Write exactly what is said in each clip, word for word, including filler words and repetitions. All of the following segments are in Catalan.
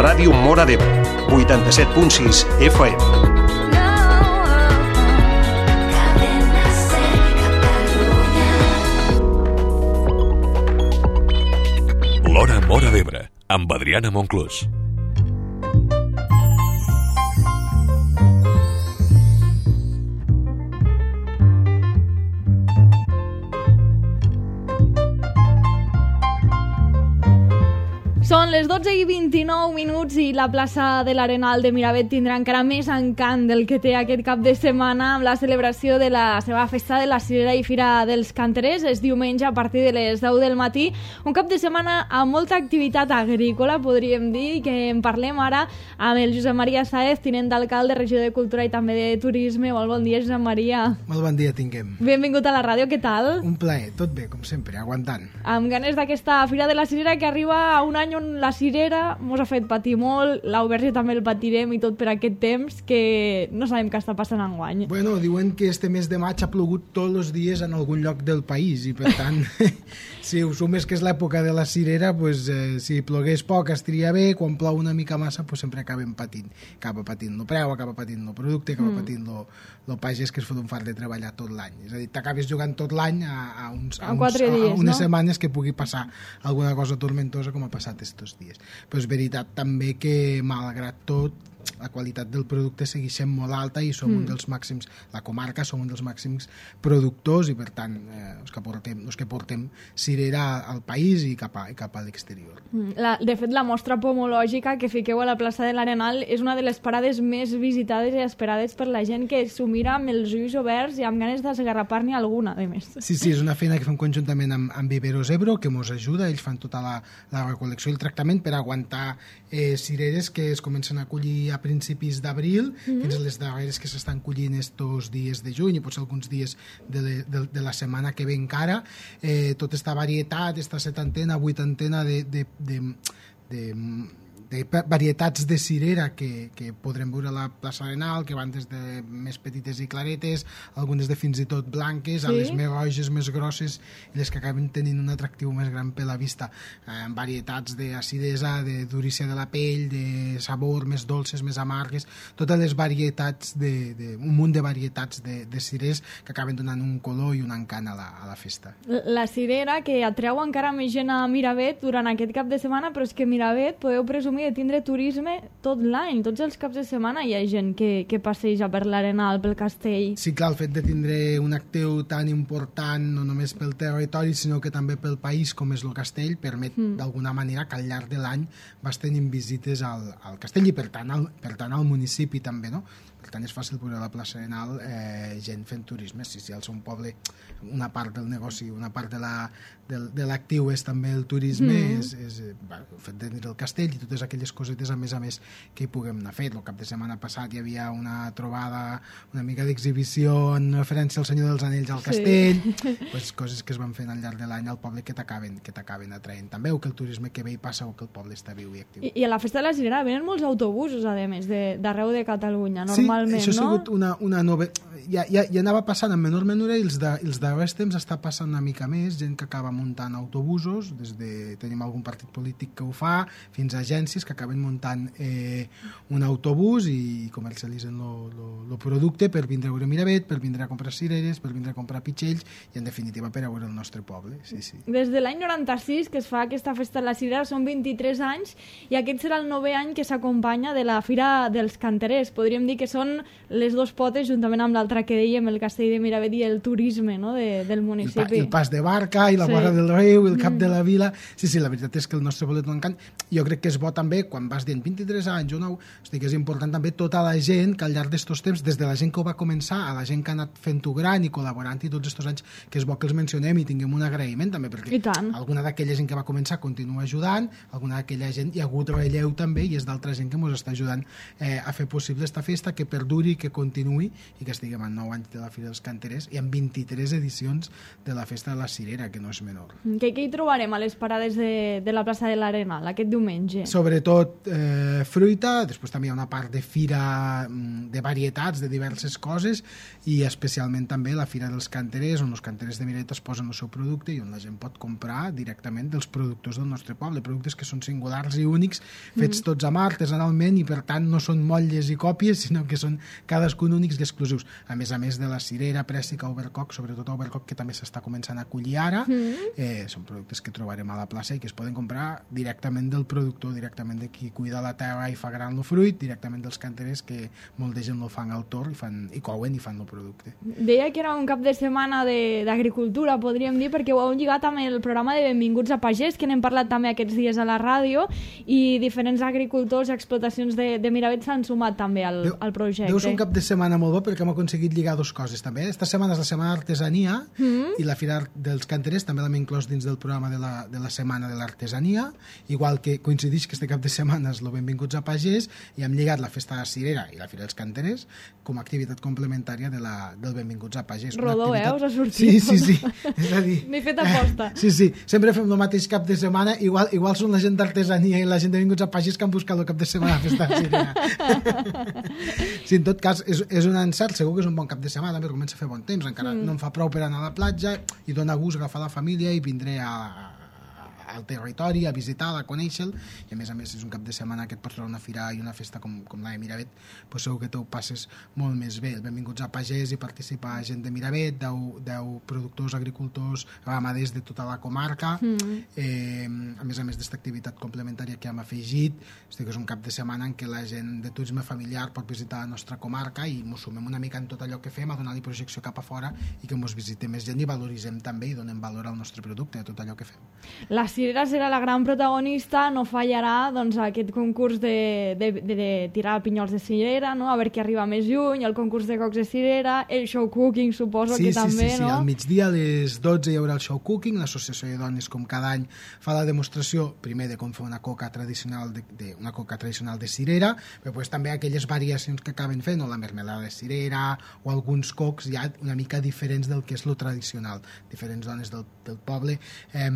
Ràdio Móra d'Ebre, vuitanta-set punt sis F M. L'Hora Móra d'Ebre, amb Adriana Monclús. Són les dotze i vint-i-nou minuts i la plaça de l'Arenal de Miravet tindrà encara més encant del que té aquest cap de setmana amb la celebració de la seva festa de la Cirera i Fira dels Canterers. És diumenge a partir de les deu del matí. Un cap de setmana amb molta activitat agrícola, podríem dir, que en parlem ara amb el Josep Maria Sáez, tinent d'alcalde, regidor de Cultura i també de Turisme. Molt bon dia, Josep Maria. Molt bon dia, tinguem. Benvingut a la ràdio, què tal? Un plaer, tot bé, com sempre, aguantant. Amb ganes d'aquesta Fira de la Cirera que arriba a un any on la cirera mos ha fet patir molt, l'Auberge també el patirem i tot per aquest temps que no sabem què està passant enguany. Bueno, diuen que este mes de maig ha plogut tots els dies en algun lloc del país i per tant, si ho sumes que és l'època de la cirera, pues, eh, si plogués poc estaria bé, quan plou una mica massa pues, sempre acabem patint. Acaba patint el preu, acaba patint el producte, acaba mm. patint el pagès que es fot un fart de treballar tot l'any. És a dir, t'acabes jugant tot l'any a, a, uns, a, uns, dies, a unes no? setmanes que pugui passar alguna cosa tormentosa com ha passat estos dies. Però és veritat també que, malgrat tot, la qualitat del producte segueix sent molt alta i som mm. un dels màxims, la comarca som un dels màxims productors i per tant eh, els, que portem, els que portem cirera al país i cap a, i cap a l'exterior. La, de fet, la mostra pomològica que fiqueu a la plaça de l'Arenal és una de les parades més visitades i esperades per la gent que s'ho mira amb els ulls oberts i amb ganes d'esgarrapar-n'hi alguna, a més. Sí, sí, és una feina que fem conjuntament amb, amb Viveros Ebro, que ens ajuda, ells fan tota la, la recol·lecció i el tractament per aguantar eh, cireres que es comencen a collir a principis d'abril, mm-hmm. fins a les darreres que s'estan collint estos dies de juny i potser alguns dies de, le, de, de la setmana que ve encara. Eh, tota aquesta varietat, aquesta setantena, vuitantena de, de, de, de, de varietats de cirera que, que podrem veure a la plaça Arenal, que van des de més petites i claretes, algunes de fins i tot blanques, sí? A les més roges, més grosses, i les que acaben tenint un atractiu més gran per la vista. Eh, varietats d'acidesa, de durícia de la pell, de sabor, més dolces, més amargues, totes les varietats, de, de, un munt de varietats de, de cirers que acaben donant un color i un encant a la, a la festa. La cirera que atreu encara més gent a Miravet durant aquest cap de setmana, però és que Miravet podeu presumir de tindre turisme tot l'any, tots els caps de setmana hi ha gent que, que passeja per l'Arenal, pel castell. Sí, clar, el fet de tindre un actiu tan important no només pel territori sinó que també pel país com és el castell permet mm. d'alguna manera que al llarg de l'any vas tenint visites al, al castell i per tant al, per tant al municipi també, no? Per tant és fàcil veure a la plaça Arenal eh, gent fent turisme, sí, sí, al seu poble una part del negoci, una part de la del, de l'actiu és també el turisme, mm. és, és bueno, el fet de tenir el castell i totes aquelles cosetes a més a més que hi puguem anar fet. El cap de setmana passat hi havia una trobada, una mica d'exhibició en referència al Senyor dels Anells al castell, sí. Pues, coses que es van fent al llarg de l'any al poble que t'acaben que t'acaven atraent també, o que el turisme que ve i passa o que el poble està viu i actiu. I, i a la festa de la Cirera venen molts autobusos, a més, d'arreu de, de Catalunya, normalment, sí, això ha no? sigut una, una nova... Ja, ja, ja anava passant en menor menura i els, de, els darrers temps està passant una mica més, gent que acaba muntant autobusos, des de tenim algun partit polític que ho fa, fins a agències que acaben muntant eh, un autobús i comercialitzen el producte per vindre a veure Miravet, per vindre a comprar cireres, per vindre a comprar pitxells i en definitiva per a veure el nostre poble. Sí, sí. Des de l'any noranta-sis que es fa aquesta festa de la Cirera són vint-i-tres anys i aquest serà el novè any que s'acompanya de la Fira dels Canterers. Podríem dir que són les dos potes juntament amb l'altre que dèiem, el castell de Miravet i el turisme, no? de, del municipi. El, pa, el pas de barca i la sí. vora del riu, el cap mm. de la vila. Sí, sí, la veritat és que el nostre poble té un encant. Jo crec que és bo també, quan vas dient vint-i-tres anys o nou, hosti, que és important també tota la gent que al llarg d'estos temps, des de la gent que ho va començar a la gent que ha anat fent-ho gran i col·laborant i tots estos anys, que és bo que els mencionem i tinguem un agraïment també, perquè alguna d'aquella gent que va començar continua ajudant, alguna d'aquella gent hi ha hagut relleu també i és d'altra gent que ens està ajudant eh, a fer possible esta festa, que perduri, que continuï i que estiguem van nou anys de la Fira dels Canterers i amb vint-i-tres edicions de la Festa de la Cirera, que no és menor. Què, què hi trobarem a les parades de, de la plaça de l'Arenal aquest diumenge? Sobretot eh, fruita, després també hi ha una part de fira de varietats, de diverses coses, i especialment també la Fira dels Canterers, on els canterers de Miravet es posen el seu producte i on la gent pot comprar directament dels productors del nostre poble, productes que són singulars i únics, fets mm. tots a mà, artesanalment, i per tant no són motlles i còpies, sinó que són cadascun únics i exclusius. A més a més de la cirera, prèssica, overcock, sobretot overcock, que també s'està començant a collir ara, mm. eh, són productes que trobarem a la plaça i que es poden comprar directament del productor, directament de qui cuida la terra i fa gran el fruit, directament dels canterers, que molt de gent el fan al torn i, fan, i couen i fan el producte. Deia que era un cap de setmana d'agricultura, podríem dir, perquè ho heu lligat amb el programa de Benvinguts a Pagès, que n'hem parlat també aquests dies a la ràdio, i diferents agricultors i explotacions de, de Miravet s'han sumat també al, Deu, al projecte. Deu ser un cap de setmana molt bo perquè hem aconseguit lligar dues coses també. Esta setmana és la setmana d'artesania mm. i la Fira dels Canterers també l'hem inclòs dins del programa de la, de la setmana de l'artesania, igual que coincideix que este cap de setmana és el Benvinguts a Pagès, i hem lligat la Festa de la Cirera i la Fira dels Canterers com a activitat complementària de la, del Benvinguts a Pagès. Rodó, activitat... eh? Us ha sortit. Sí, sí, sí. És a dir... N'he fet aposta. Eh, sí, sí. Sempre fem el mateix cap de setmana. Igual, igual són la gent d'artesania i la gent de Benvinguts a Pagès que han buscat el cap de setmana a Festa de Cirera. Sí, en tot cas, és, és un encert. Segur que és un bon cap de setmana, també comença a fer bon temps. Encara mm. no em fa prou per anar a la platja i dona gust agafar la família i vindré a... al territori, a visitar, a conèixer-lo, i a més a més és un cap de setmana que et pots trobar una fira i una festa com, com la de Miravet, pues segur que t'ho passes molt més bé. Benvinguts a Pagès, i participa gent de Miravet, deu productors, agricultors, ramaders de tota la comarca, mm. eh, a més a més d'esta activitat complementària que hem afegit, que és un cap de setmana en què la gent de turisme familiar pot visitar la nostra comarca i ens sumem una mica en tot allò que fem, a donar-li projecció cap a fora i que ens visite més gent i valoritzem també i donem valor al nostre producte, a tot allò que fem. La cirera serà la gran protagonista, no fallarà doncs, aquest concurs de, de, de, de tirar pinyols de cirera, no? A veure qui arriba més lluny, el concurs de cocs de cirera, el show cooking suposo sí, que sí, també, sí, sí, no? Sí, al migdia a les dotze hi haurà el show cooking, l'associació de dones com cada any fa la demostració primer de com fer una coca tradicional de, de, una coca tradicional de cirera, però després també aquelles variacions que acaben fent, o la mermelada de cirera o alguns cocs ja una mica diferents del que és lo tradicional. Diferents dones del, del poble eh,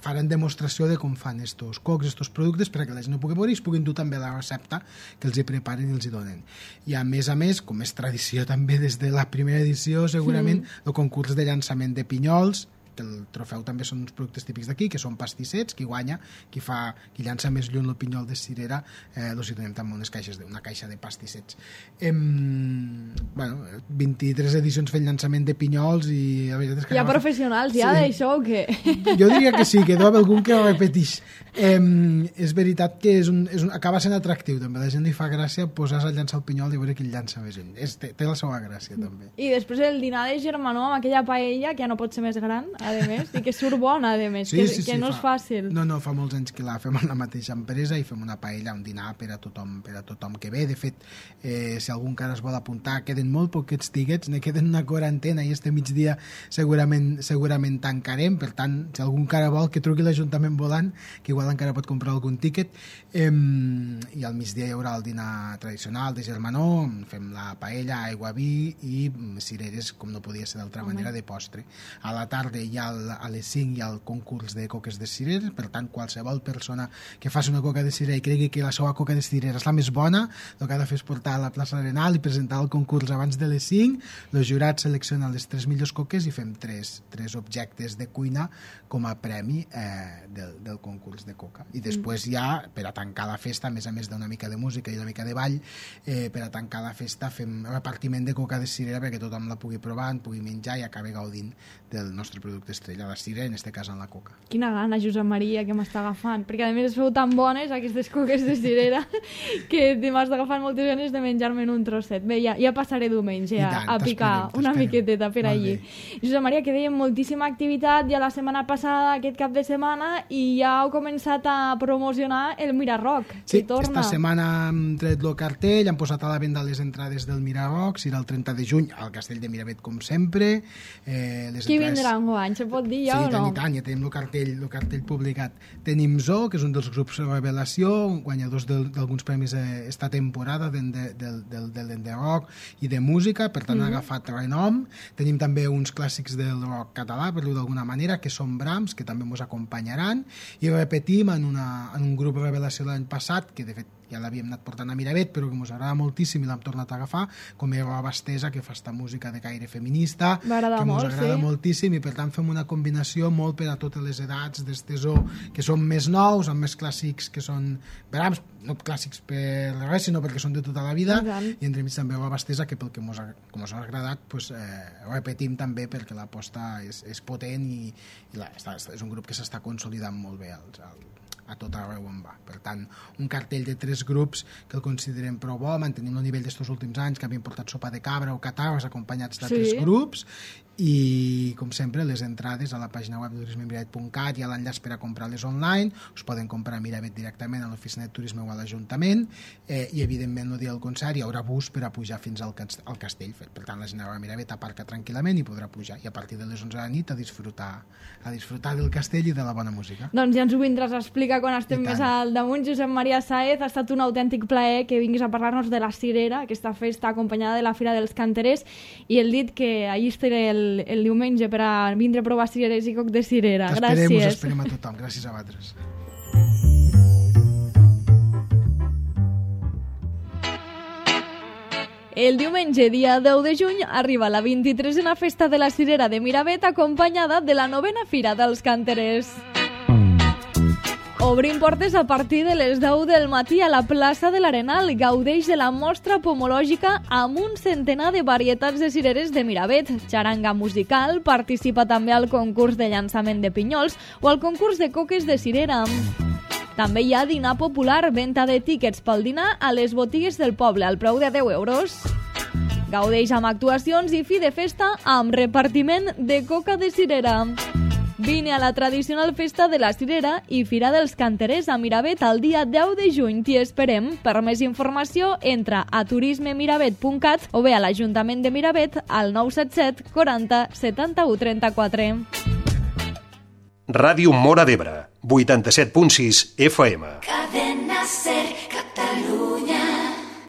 faran demostració de com fan estos cocs, estos productes, perquè la gent no pugui veure i es puguin dur també la recepta que els hi preparen i els hi donen. I a més a més, com és tradició també des de la primera edició, segurament, mm. el concurs de llançament de pinyols, que el trofeu també són uns productes típics d'aquí, que són pastissets, qui guanya, qui fa, qui llança més lluny el pinyol de cirera, eh, doncs hi donem també unes caixes de, una caixa de pastissets. Em, bueno, vint-i-tres edicions fent llançament de pinyols i la veritat és que... Hi ha professionals ja sí. d'això o què? Jo diria que sí, que deu haver algun que ho repeteix. Em, és veritat que és un, és un, acaba sent atractiu també, la gent li fa gràcia posar a llançar el pinyol i veure qui el llança més lluny. És, té, té la seva gràcia també. I després el dinar de germanor amb aquella paella que ja no pot ser més gran, a més, i que surt bona, a més, sí, que, sí, que sí, no fa, és fàcil. No, no, fa molts anys que la fem en la mateixa empresa i fem una paella, un dinar per a tothom, per a tothom que ve. De fet, eh, si algun encara es vol apuntar, queden molt poquets tiquets, ne queden una quarantena i este migdia segurament segurament tancarem, per tant, si algun encara vol que truqui l'Ajuntament volant, que igual encara pot comprar algun tiquet, eh, i al migdia hi haurà el dinar tradicional de germanor, fem la paella, aigua, vi i cireres, com no podia ser d'altra manera, de postre. A la tarda hi ha el, a les cinc hi ha el concurs de coques de cireres, per tant qualsevol persona que faci una coca de cirera i cregui que la seva coca de cirera és la més bona, el que ha de fer és portar a la plaça Arenal i presentar el concurs abans de les cinc, els jurats seleccionen les tres millors coques i fem tres, tres objectes de cuina com a premi eh, del, del concurs de coca. I després mm. ja, per a tancar la festa, a més a més d'una mica de música i una mica de ball, eh, per a tancar la festa fem repartiment de coca de cirera perquè tothom la pugui provar, en pugui menjar i acabi gaudint del nostre producte estrella, la cirera, en este cas en la coca. Quina gana, Josep Maria, que m'està agafant, perquè a més es feu tan bones aquestes coques de cirera que m'has agafat moltes ganes de menjar-me en un trosset. Bé, ja, ja passaré diumenge a, tant, a picar una miqueteta per allí. Josep Maria, que dèiem moltíssima activitat ja la setmana passada, aquest cap de setmana, i ja heu començat a promocionar el Miraroc, sí, que torna. Esta setmana hem tret el cartell, hem posat a la venda les entrades del Miraroc, serà el trenta de juny al Castell de Miravet, com sempre. Eh, les Qui entrades... vindrà enguany? any, se pot dir ja sí, o no? Sí, tant i tant, ja tenim el cartell, el cartell publicat. Tenim Zoo, que és un dels grups de revelació, guanyadors d'alguns premis esta temporada del de, de, de, de, de, de rock i de música, per tant mm. ha agafat renom. Tenim també uns clàssics del rock català, per dir-ho d'alguna manera, que són Brahms, que també ens acompanyaran, i repetim en, una, en un grup de revelació l'any passat, que de fet ja l'havíem anat portant a Miravet, però que ens agrada moltíssim i l'hem tornat a agafar, com és Roba Estesa, que fa esta música de caire feminista, que ens molt, agrada sí. moltíssim, i per tant fem una combinació molt per a totes les edats d'estesó, que són més nous, amb més clàssics que són Brahms, no clàssics per res, sinó perquè són de tota la vida, i entremig també Roba Estesa, que pel que ens ha, com us ha agradat, pues, eh, repetim també perquè l'aposta és, és potent i, i la, està, és un grup que s'està consolidant molt bé als, als a tot arreu on va. Per tant, un cartell de tres grups que el considerem prou bo, mantenim el nivell d'estos últims anys, que havien portat Sopa de Cabra o Catarres acompanyats d'altres sí. grups, i, com sempre, les entrades a la pàgina web de turisme miravet punt cat i a l'enllaç per a comprar-les online, us poden comprar a Miravet directament a l'oficina de turisme o a l'Ajuntament, eh, i, evidentment, el dia del concert hi haurà bus per a pujar fins al, al castell. Per tant, la gent a Miravet aparca tranquil·lament i podrà pujar, i a partir de les onze de la nit a disfrutar, a disfrutar del castell i de la bona música. Doncs ja ens ho vindràs a explicar quan estem més al damunt. Josep Maria Sáez, ha estat un autèntic plaer que vinguis a parlar-nos de la Cirera, aquesta festa acompanyada de la Fira dels Canterers, i el dit que allí estaré el el diumenge per a vindre a provar cireres i coc de cirera. T'esperem, gràcies. Us esperem a tothom. Gràcies a vosaltres. El diumenge, dia deu de juny, arriba la vint-i-tresena festa de la Cirera de Miravet, acompanyada de la novena Fira dels Canterers. Obrim portes a partir de les deu del matí a la plaça de l'Arenal. Gaudeix de la mostra pomològica amb un centenar de varietats de cireres de Miravet. Xaranga musical, participa també al concurs de llançament de pinyols o al concurs de coques de cirera. També hi ha dinar popular, venda de tíquets pel dinar a les botigues del poble al preu de deu euros. Gaudeix amb actuacions i fi de festa amb repartiment de coca de cirera. Vine a la tradicional festa de la Cirera i Fira dels Canterers a Miravet el dia deu de juny. T'hi esperem. Per més informació, entra a turisme miravet punt cat o bé a l'Ajuntament de Miravet al nou set set quaranta setanta-u trenta-quatre. Ràdio Móra d'Ebre, vuitanta-set punt sis F M. Cadena Ser, Catalunya.